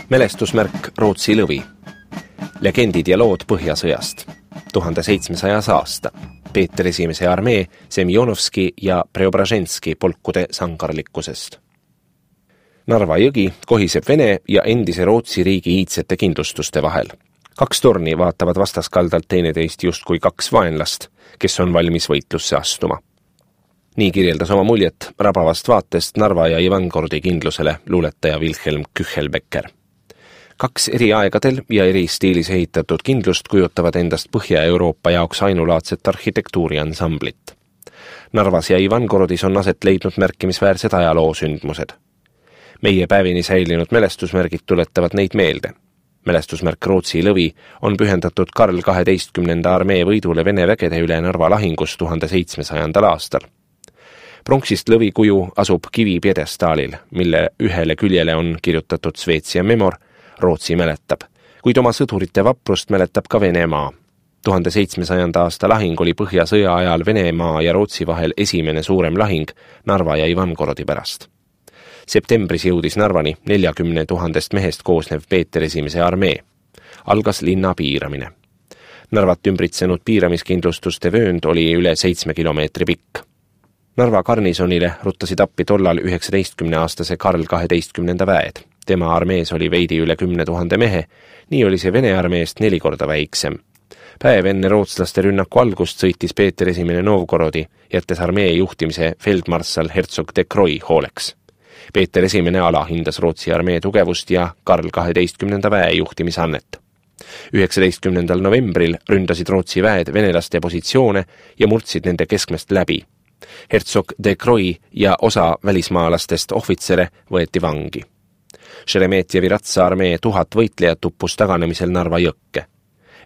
Mälestusmärk Rootsi lõvi. Legendid ja lood Põhjasõjast. 1700. aasta. Peeter I armee Semjonovski ja Preobraženski polkude sangarlikkusest. Narva jõgi kohiseb Vene ja endise Rootsi riigi iidsete kindlustuste vahel. 2 torni vaatavad vastaskaldalt teineteist justkui 2 vaenlast, kes on valmis võitlusse astuma. Nii kirjeldas oma muljet rabavast vaatest Narva ja Ivangorodi kindlusele luuletaja Wilhelm Küchelbecker. 2 eri aegadel ja eri stiilis ehitatud kindlust kujutavad endast Põhja-Euroopa jaoks ainulaadset arhitektuuriansamblit. Narvas ja Ivangorodis on aset leidnud märkimisväärsed ajaloosündmused. Meie päevini säilinud mälestusmärgid tuletavad neid meelde. Mälestusmärk Rootsi lõvi on pühendatud Karl 12. armee võidule Vene vägede üle Narva lahingus 1700. aastal. Pronksist lõvi kuju asub kivi pjedestaalil, mille ühele küljele on kirjutatud Šveitsia memor, Rootsi mäletab, kuid oma sõdurite vaprust mäletab ka Venemaa. 1700. aasta lahing oli Põhjasõja ajal Venemaa ja Rootsi vahel esimene suurem lahing Narva ja Ivangorodi pärast. Septembris jõudis Narvani 40 000 mehest koosnev Peeter I armee. Algas linna piiramine. Narvat ümbritsenud piiramiskindlustuste vöönd oli üle 7 kilomeetri pikk. Narva garnisonile ruttasid appi tollal 19-aastase Karl 12. väed. Tema armees oli veidi üle 10 000 mehe, nii oli see Vene armeest 4 korda väiksem. Päev enne rootslaste rünnaku algust sõitis Peeter I Novgorodi, jättes armee juhtimise feldmarssal Herzog de Croy hooleks. Peeter I alahindas Rootsi armee tugevust ja Karl 12. väe juhtimisannet. 19. novembril ründasid Rootsi väed venelaste positsioone ja murdsid nende keskmest läbi. Herzog de Croy ja osa välismaalastest ohvitsere võeti vangi. Šeremetjevi ratsa armee 1000 võitlejat uppus taganemisel Narva jõkke.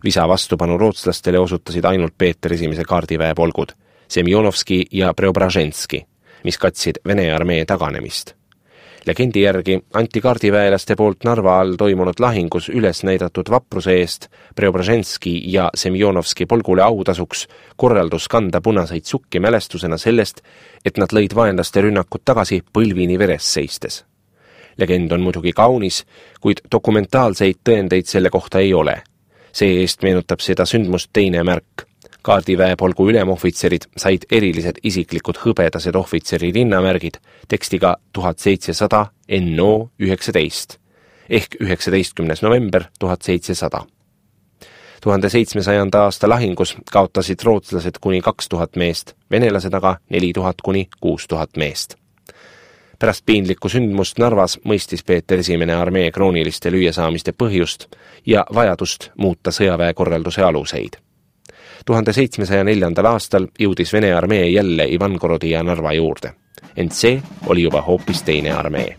Visa vastupanu rootslastele osutasid ainult Peeter I kaardiväe polgud, Semjonovski ja Preobraženski, mis katsid Vene armee taganemist. Legendi järgi anti kaardiväelaste poolt Narva all toimunud lahingus üles näidatud vapruse eest Preobraženski ja Semjonovski polgule autasuks korraldus kanda punaseid sukki mälestusena sellest, et nad lõid vaenlaste rünnakut tagasi põlvini veres seistes. Legend on muidugi kaunis, kuid dokumentaalseid tõendeid selle kohta ei ole. See eest meenutab seda sündmust teine märk. Kaardiväe polgu ülemohvitserid said erilised isiklikud hõbedased ohvitseri rinnamärgid tekstiga 1700 NO 19 ehk 19. november 1700. 1700. aasta lahingus kaotasid rootslased kuni 2000 meest, venelased aga 4000 kuni 6000 meest. Pärast piinlikku sündmust Narvas mõistis Peeter I armee krooniliste lüüasaamiste põhjust ja vajadust muuta sõjaväekorralduse aluseid. 1704. aastal jõudis Vene armee jälle Ivangorodi ja Narva juurde, ent see oli juba hoopis teine armee.